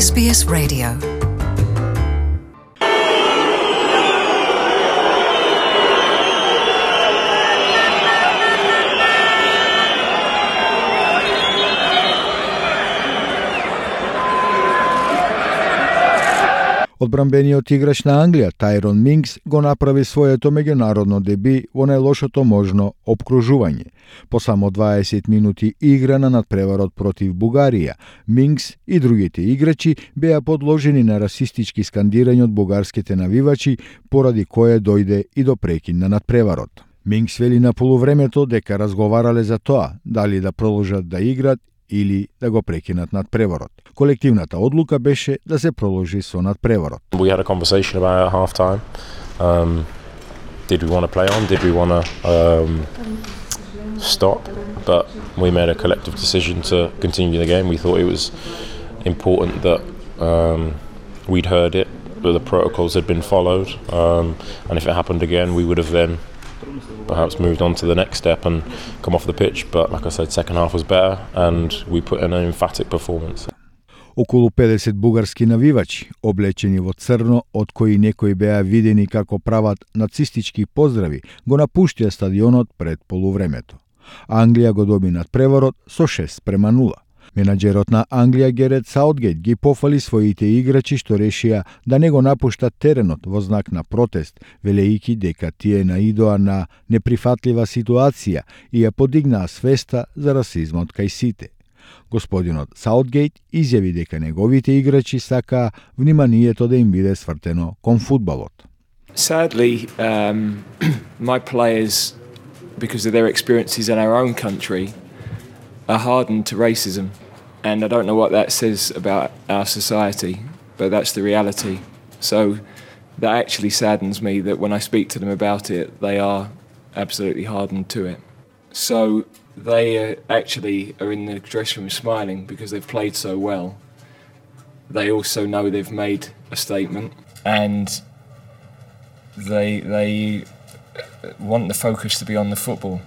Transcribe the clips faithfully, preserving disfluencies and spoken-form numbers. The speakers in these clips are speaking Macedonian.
С Б С Radio. Одбранбениот играч на Англија, Тајрон Минкс, го направи своето меѓународно деби во најлошото можно опкружување. По само дваесет минути игра на надпреварот против Бугарија, Минкс и другите играчи беа подложени на расистички скандирања од бугарските навивачи, поради кое дојде и до прекин на надпреварот. Минкс вели на полувремето дека разговарале за тоа, дали да продолжат да играт или да го прекинат надпреварот. Колективната одлука беше да се продолжи со надпреварот. We had a conversation about it at half time. Um, did we want to play on? Did we want to um, stop? But we made a collective decision to continue the game. We thought it was important that um, we'd heard it, that the protocols had been followed, um, and if it happened again, we would have then perhaps moved on to the next step and come off the pitch. But like I said, second half was better and we put in an emphatic performance. Околу педесет бугарски навивачи, облечени во црно, од кои некои беа видени како прават нацистички поздрави, го напуштија стадионот пред полувремето. Англија го доби надпреварот со шест према нула. Менаџерот на Англија Герет Саутгейт ги пофали своите играчи што решија да не го напуштат теренот во знак на протест, велејќи дека тие наидоа на неприфатлива ситуација и ја подигнаа свеста за расизмот кај сите. Господинот Саутгейт изјави дека неговите играчи сакаа вниманието да им биде свртено кон фудбалот. Sadly, um, my players, because of their experiences in our own country, are hardened to racism. And I don't know what that says about our society, but that's the reality. So that actually saddens me that when I speak to them about it, they are absolutely hardened to it. So they uh, actually are in the dressing room smiling because they've played so well. They also know they've made a statement and they, they want the focus to be on the football.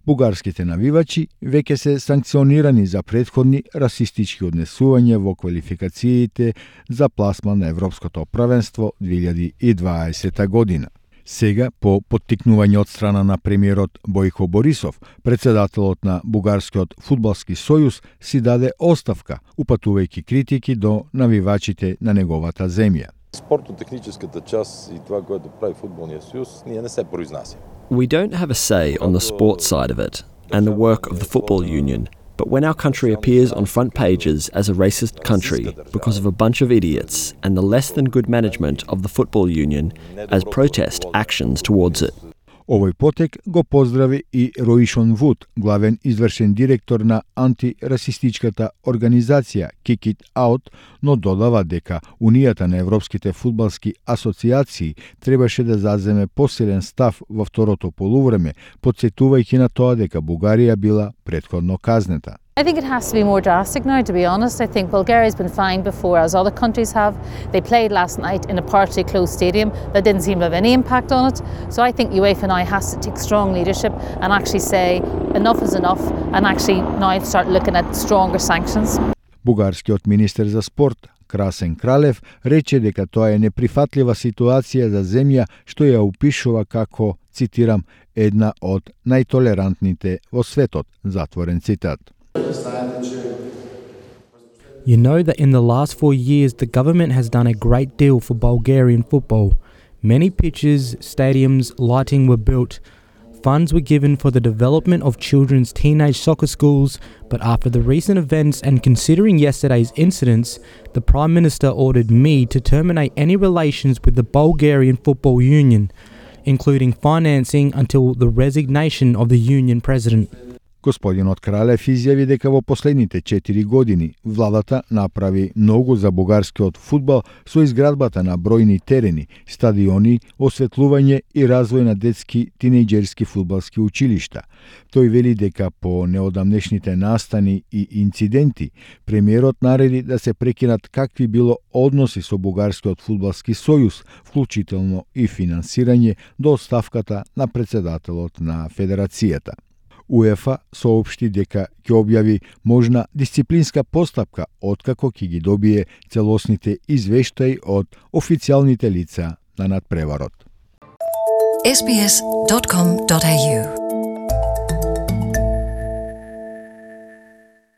Бугарските навивачи веќе се санкционирани за претходни расистички однесувања во квалификациите за пласман на Европското првенство две илјади и дваесета година. Сега, по поттикнување од страна на премиерот Бојко Борисов, председателот на Бугарскиот фудбалски сојуз си даде оставка, упатувајќи критики до навивачите на неговата земја. Спортно-техническата част и това, което прави фудбалниот сојуз, ние не се произнасяме. We don't have a say on the sports side of it and the work of the football union, but when our country appears on front pages as a racist country because of a bunch of idiots and the less than good management of the football union as protest actions towards it. Овој потек го поздрави и Роишон Вуд, главен извршен директор на антирасистичката организација Kick It Out, но додава дека Унијата на европските фудбалски асоциации требаше да заземе посилен став во второто полувреме, потсетувајќи на тоа дека Бугарија била претходно казнета. I think it has to be more drastic now, to be honest. I think Bulgaria's been fined before, as other countries have. They played last night in a partially closed stadium that didn't seem to have any impact on it. So I think UEFA now has to take strong leadership and actually say enough is enough and actually now start looking at stronger sanctions. Бугарскиот министер за спорт Красен Кралев рече дека тоа е неприфатлива ситуација за земја што ја опишува како, цитирам, една од најтолерантните во светот, затворен цитат. You know that in the last four years the government has done a great deal for Bulgarian football. Many pitches, stadiums, lighting were built. Funds were given for the development of children's teenage soccer schools, but after the recent events and considering yesterday's incidents, the Prime Minister ordered me to terminate any relations with the Bulgarian Football Union, including financing until the resignation of the union president. Господинот Кралев изјави дека во последните четири години владата направи многу за бугарскиот фудбал со изградбата на бројни терени, стадиони, осветлување и развој на детски тинејџерски фудбалски училишта. Тој вели дека по неодамнешните настани и инциденти, премиерот нареди да се прекинат какви било односи со Бугарскиот фудбалски сојуз, вклучително и финансирање до оставката на председателот на федерацијата. УЕФА соопшти дека ќе објави можна дисциплинска постапка откако ќе ги добие целосните извештаи од официјалните лица на надпреварот. ес би ес dot com dot a u